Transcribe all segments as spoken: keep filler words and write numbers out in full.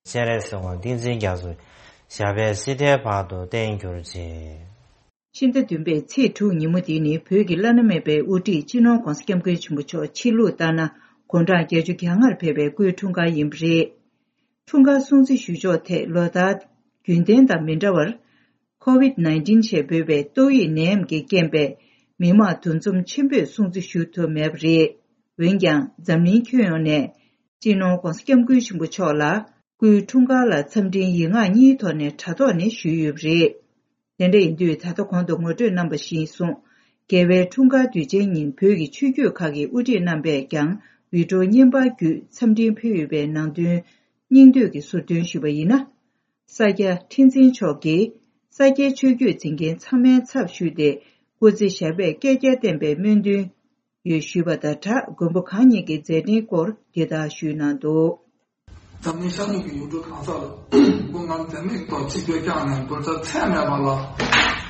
སྤྱན་རས་གཟིགས་དབང་ཏིང་འཛིན་རྒྱ་མཚོ་ཞབས་པད་སྲིད་མཐའི་བར་དུ་བརྟན་གྱུར་ཅིག་ཕྱི་ཟླ་བདུན་པའི་ཚེས་དྲུག་ཉིན་མོ་འདི་ནི་བོད་ཀྱི་བླ་ན་མེད་པའི་དབུ་ཁྲིད་སྤྱི་ནོར་༧གོང་ས་༧སྐྱབས་མགོན་ཆེན་པོ་མཆོག་ཕྱི་ལུགས་ལྟར་ན་དགུང་གྲངས་བརྒྱད་ཅུ་གྱ་ལྔར་ཕེབས་པའི་སྐུའི་འཁྲུངས་སྐར་ཡིན་པ་རེད། འཁྲུངས་སྐར་སྲུང་བརྩི་ཞུ་ཕྱོགས་ཐད་ལོ་ལྟར་རྒྱུན་ལྡན་དང་མི་འདྲ་བར། ཁོ་ཝིད་ནའིན་ཊིན་ཞེས་འབོད་པའི་ཏོག་དབྱིབས་ནད་ཡམས་ཀྱི་རྐྱེན་པས་མི་མང་འདུ་འཛོམས་ཆེན་པོས་སྲུང་བརྩི་ཞུ་ཐུབ་མེད་པ་རེད། འོན་ཀྱང་འཛམ་གླིང་ཁྱོན་ཡོངས་ནས་སྤྱི་ནོར་༧གོང་ས་༧སྐྱབས་མགོན་ཆེན་པོ་མཆོག་ལ་སྐུའི་འཁྲུངས་སྐར་ལ་འཚམས་འཕྲིན་ཡིག་ངག་གཉིས་ཐོག་ནས་དྲ་ཐོག་ནས་ཞུས་ཡོད་པ་རེད། དེ་འདྲ་ཡིན་དུས་ད་ལྟ་གོང་དུ་ངོ་སྤྲོད་གནང་པ་བཞིན་སོང་། རྒྱལ་བའི་འཁྲུངས་སྐར་དུས་ཆེན་ཉིན་བོད་ཀྱི་ཆོས་བརྒྱུད་ཁག་གི་དབུ་ཁྲིད་རྣམ་པས་ཀྱང་བི་ཌི་ཡོ་བརྙན་པར་བརྒྱུད་འཚམས་འཕྲིན་ཕུལ་ཡོད་པའི་ནང་དོན་སྙིང་བསྡུས་ཀྱིས་ཟུར་འདོན་ཞུས་པ་ཡིན་ན། ས་སྐྱ་ཁྲི་འཛིན་མཆོག་གིས་ས་སྐྱའི་ཆོས་བརྒྱུད་འཛིན་མཁན་ཚང་མའི་ཚབ་ཞུས་ཏེ་སྐུ་ཚེ་ཞབས་པད་བསྐལ་བརྒྱར་བརྟན་པའི་སྨོན་འདུན་ཡོད་ཞུས་པ་དང་སྦྲགས་མགོན་པོ་གང་ཉིད་ཀྱི་མཛད་འཕྲིན་སྐོར་འདི་ལྟར་ཞུས་གནང་འདུག་འཛམ་གླིང་ཤར་ནུབ་ཀྱི་ཡུལ་གྲུ་གང་སར་སྐུ་ངལ་འཛེམས་མེད་ཐོག་ཆིབས་བསྒྱུར་བསྐྱངས་ནས་རྒྱུ་ཆ་ཚད་མེད་པ་ལ་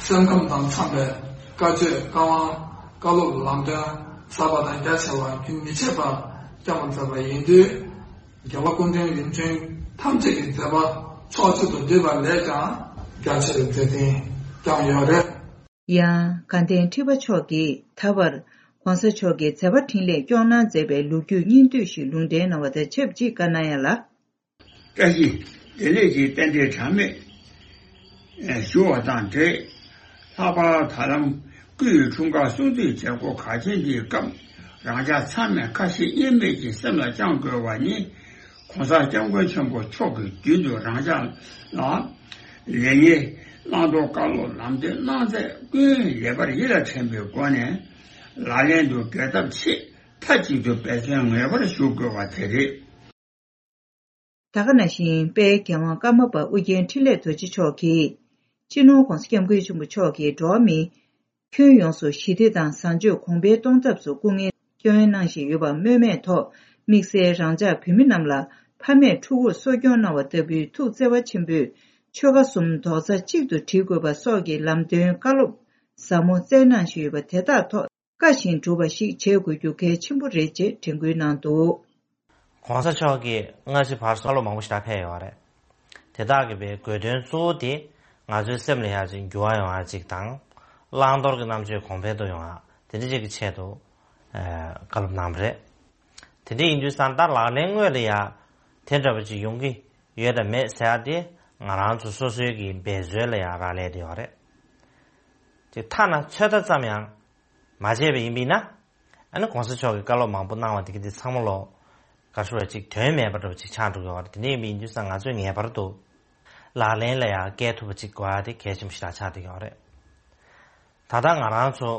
སེམས་ཁམས་དང་འཚམ་པའི་བཀའ་ཆོས་བཀའ་དབང་བཀའ་སློབ་ལམ་སྟོན་ཟབ་པ་དང་རྒྱ་ཆེ་བ་རྒྱུན་མི་ཆད་པར་བསྐྱངས་པ་མཛད་པ་ཡིན་དུས། རྒྱལ་བ་སྐུ་ཕྲེང་རིམ་བྱོན་ཐམས་ཅད་ཀྱི་མཛད་པ་ཕྱོགས་གཅིག་ཏུ་བསྡུས་པ་ལས་ཀྱང་རྒྱ་ཆེ་བའི་མཛད་འཕྲིན་བསྐྱངས་ཡོད་རེད། ཡང་དགའ་ལྡན་ཁྲི་པ་མཆོག་གིས་ད་བར་༧གོང་ས་མཆོག་གི་མཛད་པ་འཕྲིན་ལས་སྐྱོང་གནང་མཛད་པའི་ལོ་རྒྱུས་སྙིང་བསྡུས་ཤིག་ལུང་འདྲེན་གནང་བ་དང་ཆབས་ཅིག་བཀའ་གནང་ཡ་ལ། བཀྲ་ཤིས་བདེ་ལེགས་ཀྱི་རྟེན་འབྲེལ་གྲངས་མེད་ཞུ་བ་དང་འབྲེལ། ལྷག་པར་ད་ལམ་སྐུའི་འཁྲུངས་སྐར་སྲུང་བརྩིའི་མཛད་སྒོ་གལ་ཆེན་འདིའི་སྐབས་རང་ཅག་ཚང་མས་ཁ་ཞེ་དབྱེར་མེད་ཀྱིས་སེམས་ལ་བཅངས་དགོས་པ་ནི། ༸གོང་ས་༸སྐྱབས་མགོན་ཆེན་པོ་མཆོག་གིས་རྒྱུན་དུ་རང་ཅག་ལ་ལེགས་ཉེས་བླང་དོར་བཀའ་སློབ་ལམ་སྟོན་གནང་ཚད་ཀུན་ལེགས་པར་ཡིད་ལ་དྲན་པའི་སྒོ་ནས་ལག་ལེན་དུ་འགེལ་ཐབས་ཆེད་མཐའ་གཅིག་ཏུ་འབད་བརྩོན་ངེས་པར་ཞུ་དགོས་པ་དེ་རེད། ད་ག་ནང་བཞིན་དཔལ་རྒྱལ་དབང་ཀརྨ་པ་ཨུ་རྒྱན་འཕྲིན་ལས་རྡོ་རྗེ་མཆོག་གིས་སྤྱི་ནོར་༸གོང་ས་༸སྐྱབས་མགོན་ཆེན་པོ་མཆོག་གིས་འགྲོ་བ་མི་ཁྱོན་ཡོངས་སུ་ཞི་བདེ་དང་བཟང་སྤྱོད་གོང་འཕེལ་གཏོང་ཐབས་སུ་སྐུ་ངལ་བསྐྱོན་གནང་བཞིན་ཡོད་པ་སྨོས་མེད་ཐོག་དམིགས་བསལ་རང་ཅག་བོད་མི་རྣམས་ལ་ཕ་མས་ཕྲུ་གུར་གསོ་སྐྱོང་གནང་བ་ལྟ་བུའི་ཐུགས་བརྩེ་བ་ཆེན་པོས་ཆོལ་ཁ་གསུམ་རྡོག་རྩ་གཅིག་ཏུ་སྒྲིལ་དགོས་པ་སོགས་ཀྱི་ལམ་སྟོན་བཀའ་སློབ་ཟབ་མོ་སྩལ་གནང་བཞིན་ཡོད་པ་དེ་དག་ཐོག་བཀའ་བཞིན་སྒྲུབ་པ་ཞིག་བྱེད་དགོས་རྒྱུ་གལ་ཆེན་པོ་རེད་ཅེས་དྲན་སྐུལ་གནང་འདུག ༸གོང་ས་མཆོག་གིས་སྔ་ཕྱི་བར་གསུམ་བཀའ་སློབ་མང་པོ་ཞིག་ཕེབས་ཡོད་རེད། དེ་དག་གི་བའི་དགོས་དོན་གཙོ་བོ་དེ་ང་ཚོའི་སེམས་ལ་ཡག་ཅིག་འགྱུར་བ་ཡོང་ཡག་ཅིག་དང་། བླང་དོར་གྱི་རྣམ་དཔྱོད་གོང་འཕེལ་དུ་ཡོང་ཡག་དེ་འདྲ་ཅིག་གི་ཆེད་དུ་བཀའ་སློབ་གནང་བ་རེད། དེ་འདྲ་ཡིན་དུས་ཙང་ད་ལག་ལེན་དངོས་ལ་ཡག་དེ་འདྲ་བ་ཅིག་ཡོང་གི་ཡོད་དམ་མེད་ཟེར་ཡག་དེ་ང་རང་ཚོ་སོ་སོའི་གི་འབད་རྩོལ་ལ་ཡག་རག་ལས་དེ་ཡོད་རེད། དེ་ཐ་ན་ཚོད་ལྟ་ཙམ་ཡང་མ་བྱས་པ་ཡིན་པས་ན། ཨ་ནི་གོང་ས་མཆོག་གིས་བཀའ་སློབ་མང་པོ་གནང་བ་དེ་གི་དེ་ཚང་མ་ལོ་ག་ཤོར་བ་ཅིག་དོན་མེད་པ་འདྲ་བ་ཅིག་ཆགས་འགྲོ་གི་ཡོད་རེད། དེ་འདྲ་ཡིན་པ་ཡིན་དུས་ཙང་ང་ཚོས་ངེས་པར་དུ་ལག་ལེན་ལ་ཡང་བཀལ་ཐུབ་པ་ཅིག་དགོས་ཡ་དེ་གལ་ཆེན་པོ་ཞིག་ལ་ཆགས་བསྡད་ཀྱི་ཡོད་རེད། ད་ལྟ་ང་རང་ཚོ་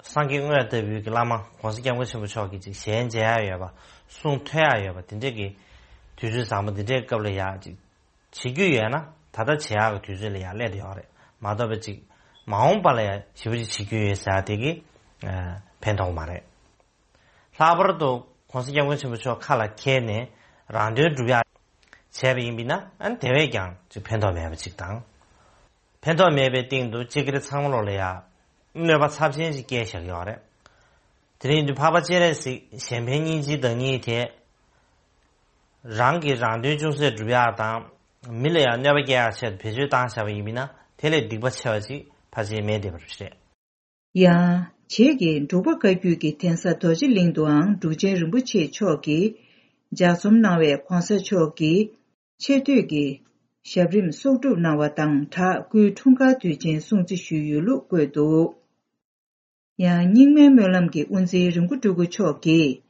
སངས་རྒྱས་དངོས་ལྟ་བུའི་གི་བླ་མ་གོང་ས་སྐྱབས་མགོན་ཆེན་པོ་མཆོག་གིས་ཅིག་ཞལ་མཇལ་ཡ་ཡོད་པ་གསུང་ཐོས་ཡ་ཡོད་པ་དེ་འདྲ་གི་དུས་ཚོད་བཟང་པོ་འདི་འདྲའི་སྐབས་ལ་ཡ་ཅིག་བྱེད་རྒྱུ་ཡོད་ན་ད་ལྟ་བྱེད་ཡག་གི་དུས་ཚོད་ལ་ཡང་སླེབས་ཡོད་རེད། མ་གཏོགས་པ་ཅིག་མ་འོངས་པ་ལ་ཡང་ཞེ་པོ་ཅིག་བྱེད་རྒྱུ་ཡོད་ཟེར་ཡག་དེ་གི་ཕན་ཐོགས་མ་རེད། ལྷག་པར་དུ་གོང་ས་སྐྱབས་མགོན་ཆེན་པོ་མཆོག་ཁ་ལ་འཁྱེར་ནས་རང་དོན་སྒྲུབ་ཡག་བྱས་པ་ཡིན་པས་ན་ཨ་ནི་དེ་བས་ཀྱང་ཅིག་ཕན་ཐོགས་མེད་པ་ཅིག་དང་། ཕན་ཐོགས་མེད་པའི་སྟེང་དུ་སྤྱི་སྒེར་ཚང་མ་ལོག་ལ་ཡང་གནོད་པ་ཚབས་ཆེན་ཞིག་བསྐྱལ་བཞག་ཡོད་རེད། དེ་རིང་དུ་འཕགས་པ་སྤྱན་རས་གཟིགས་གཞན་ཕན་སྙིང་རྗེའི་བདག་ཉིད་དེ། རང་གིས་རང་དོན་ཅུང་ཟད་སྒྲུབ་ཡག་དང་། མི་ལ་ཡང་གནོད་པ་སྐྱེལ་ཡག་ཆེད་དུ་བེད་སྤྱོད་བཏང་བཞག་པ་ཡིན་པས་ན་དེ་ལས་སྡིག་པ་ཆེ་བ་ཅིག་ཕལ་ཆེར་མེད་བསྡད་པ་རེད། ཡང་། རྗེས་ཀྱི་འབྲུག་པ་བཀའ་བརྒྱུད་ཀྱི་གདན་ས་རྡོ་རྗེ་གླིང་དུའང་འབྲུག་ཆེན་རིན་པོ་ཆེ་མཆོག་གིས་ལྗགས་རྩོམ་གནང་བའི་གོང་ས་མཆོག་གི་ཆེ་བསྟོད་ཀྱི་ཞབས་རིམ་གསོག་སྒྲུབ་གནང་བ་དང་སྦྲགས་སྐུའི་འཁྲུངས་སྐར་དུས་ཆེན་སྲུང་བརྩི་ཞུས་ཡོད་ལུགས་བཀོད་འདུག་ཡང་རྙིང་མའི་སྨོན་ལམ་གྱི་དབུ་འཛིན་རིན་པོ་སྤྲུལ་སྐུ་མཆོག་གིས།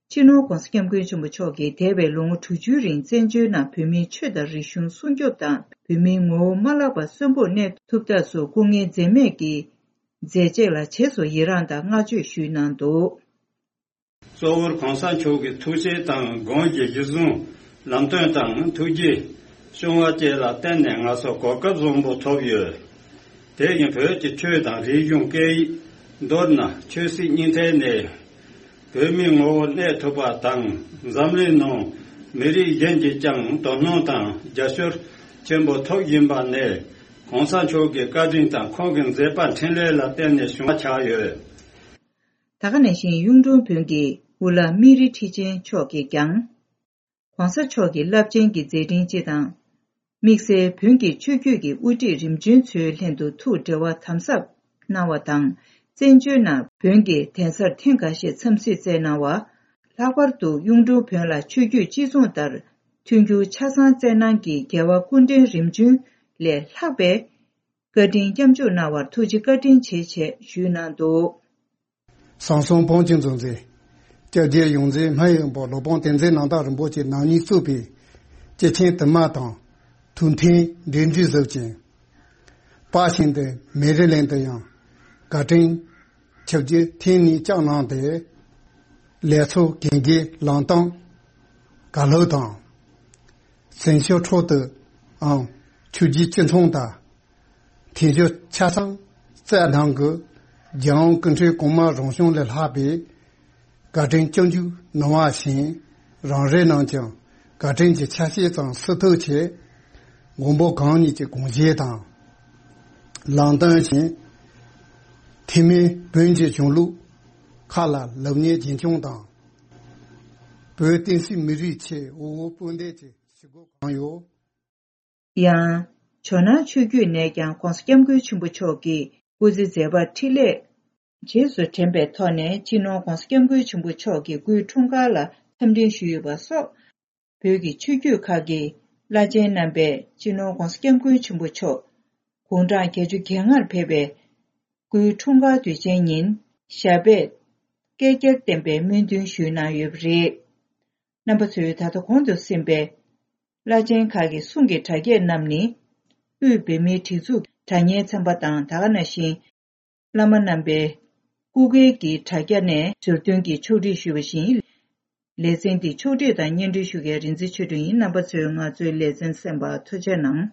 སྤྱི་ནོར་༸གོང་ས་༸སྐྱབས་མགོན་ཆེན་པོ་མཆོག་གིས་འདས་པའི་ལོ་ངོ་དྲུག་ཅུའི་རིང་བཙན་བྱོལ་ནང་བོད་མིའི་ཆོས་དང་རིག་གཞུང་སྲུང་སྐྱོབ་དང་བོད་མིའི་ངོ་བོ་མ་བརླག་པར་གསོན་པོར་གནས་ཐུབ་ཐབས་སུ་སྐུ་ངལ་འཛེམས་མེད་ཀྱིས་མཛད་རྗེས་ལ་རྗེས་སུ་ཡི་རངས་དང་བསྔགས་བརྗོད་ཞུས་གནང་འདུག་གཙོ་བོར་གོང་ས་མཆོག་གི་ཐུགས་བསྐྱེད་དང་དགོངས་ཀྱི་གཞི་བཟུང་ལམ་སྟོན་དང་ཐུགས་རྗེ་བྱུང་བ་བཅས་ལ་བརྟེན་ནས་ང་ཚོ་གོ་སྐབས་བཟང་པོ་ཐོབ་ཡོད། དེ་བཞིན་བོད་ཀྱི་ཆོས་དང་རིག་གཞུང་སྐད་ཡིག། མདོར་ན་ཆོས་སྲིད་གཉིས་ཐད་ནས་བོད་མིའི་ངོ་བོར་གནས་ཐུབ་པ་དང་། འཛམ་གླིང་ནང་མི་རིགས་གཞན་གྱིས་ཀྱང་དོ་སྣང་དང་རྒྱབ་སྐྱོར་ཆེན་པོ་ཐོབ་བཞིན་པ་ནི་གོང་ས་མཆོག་གི་བཀའ་དྲིན་དང་ཁོང་གི་མཛད་པ་འཕྲིན་ལས་ལ་བརྟེན་ནས་བྱུང་བ་ཆགས་ཡོད། ད་ག་ནང་བཞིན་གཡུང་དྲུང་བོན་གྱི་དབུ་བླ་སྨན་རི་ཁྲི་ཆེན་མཆོག་གིས་ཀྱང་། ༸གོང་ས་མཆོག་གི་རླབས་ཆེན་གྱི་མཛད་འཕྲིན་སྤྱི་དང་། དམིགས་བསལ་བོན་གྱི་ཆོས་བརྒྱུད་ཀྱི་དབུ་ཁྲིད་རིམ་བྱོན་ཚོའི་ལྷན་དུ་ཐུགས་འབྲེལ་བ་དམ་ཟབ་གནང་བ་དང་། བཙན་བྱོལ་ནང་བོན་གྱི་གདན་སར་ཐེངས་འགའ་ཤས་འཚམས་གཟིགས་བསྩལ་གནང་བ། ལྷག་པར་དུ་གཡུང་དྲུང་བོན་ལ་ཆོས་བརྒྱུད་སྤྱི་མཚུངས་ལྟར་མཐུན་འགྱུར་ཆ་ཚང་བསྩལ་གནང་གིས་རྒྱལ་བ་སྐུ་ཕྲེང་རིམ་བྱོན་ལས་ལྷག་པའི་བཀའ་དྲིན་སྐྱབས་འཇུག་གནང་བར་ཐུགས་རྗེ་བཀའ་དྲིན་ཆེ་ཞེས་ཞུས་གནང་འདུག། ཟམ་གདོང་བོན་གྱི་གཙོ་འཛིན། སྐྱབས་རྗེ་ཡོངས་འཛིན་སྨན་ཡོན་པ་སློབ་དཔོན་བསྟན་འཛིན་རྣམ་དག་རིན་པོ་ཆེ་རྣམ་གཉིས་གཙོས་པའི་སྐྱེས་ཆེན་དུ་མ་དང་། ཐུགས་མཐུན་འབྲེལ་འདྲིས་བཟོ་ཅིང་། པ་ཤིན་ཏུ་མེ་རི་ལན་དུ་ཡང་བཀའ་དྲིན་ཆིབས་བསྒྱུར་ཐེངས་གཉིས་བསྐྱངས་གནང་སྟེ། ལས་ཚོགས་གན་རྒྱའི་ལམ་སྟོན་ག་ལྷོད་དང་། གཟིམ་ཤག་ཁྲོད་དུའང་ཆོས་བརྒྱུད་སྤྱི་མཚུངས་དང་། ཐེངས་བཞི་ཆ་ཚང་བསྩལ་གནང་གི། རྒྱལ་དབང་སྐུ་ཕྲེང་གོང་མ་རང་བྱུང་ལས་ལྷག་པའི་བཀའ་དྲིན་སྐྱབས་འཇུག་གནང་བ་བཞིན། རང་རེ་རྣམས་ཀྱང་བཀའ་དྲིན་གྱི་ཆ་ཤས་ཙམ་སུ་ཐུགས་ཆེ། མགོན་པོ་གང་ཉིད་ཀྱི་དགོངས་བཞེད་དང་། ལམ་སྟོན་བཞིན། ཐེག་དམན་བོན་གྱི་གཞུང་ལུགས་ཁག་ལ་ལེགས་ཉེས་རྒྱུན་འཁྱོངས་དང་། བོད་བསྟན་སྲིད་མི་རིགས་ཆེད་འོས་འོས་དཔོན་འདེམས་ཀྱི་ཞུ་སྒོ་གང་ཡོད། ཡང་། ཇོ་ནང་ཆོས་བརྒྱུད་ནས་ཀྱང་༸གོང་ས་༸སྐྱབས་མགོན་ཆེན་པོ་མཆོག་གི་སྐུ་ཚེ་མཛད་པ་འཕྲིན་ལས་རྗེས་སུ་དྲན་པའི་ཐོག་ནས་སྤྱི་ནོར་༸གོང་ས་༸སྐྱབས་མགོན་ཆེན་པོ་མཆོག་གི་སྐུའི་འཁྲུངས་སྐར་ལ་འཚམས་འདྲི་ཞུས་ཡོད་པ་སོགས། བོད་ཀྱི་ཆོས་བརྒྱུད་ཁག་གི་བླ་ཆེན་རྣམ་པས་སྤྱི་ནོར་༸གོང་ས་༸སྐྱབས་མགོན་ཆེན་པོ་མཆོག་དགུང་གྲངས་བརྒྱད་ཅུ་གྱ་ལྔར་ཕེབས་པའི་སྐུའི་འཁྲུངས་སྐར་དུས་ཆེན་ཉིན་ཞབས་པད་བསྐལ་བརྒྱར་བརྟན་པའི་སྨོན་འདུན་ཞུས་གནང་ཡོད་པ་རེད། རྣམ་པ་ཚོས་ད་ལྟ་གོང་དུ་གསན་པའི་བླ་ཆེན་ཁག་གི་གསུང་གི་སྒྲ་བརྒྱད་རྣམས་ནི། དབུས་བོད་མིའི་སྒྲིག་འཛུགས་སྒྲ་སྙན་ཚན་པ་དང་། ད་ག་ནང་བཞིན། བླ་མ་རྣམ་པའི་སྐུ་སྒེར་གྱི་དྲ་རྒྱ་ནས་ཟུར་འདོན་གྱིས་ཕྱོགས་སྒྲིག་ཞུས་པ་བཞིན། ལེ་ཚན་འདི་ཕྱོགས་སྒྲིག་དང་སྙན་སྒྲོན་ཞུ་མཁན་རིག་འཛིན་ཆོས་སྒྲོན་ཡིན། རྣམ་པ་ཚོས་ང་ཚོའི་ལེ་ཚན་གསན་པར་ཐུགས་རྗེ་གནང་།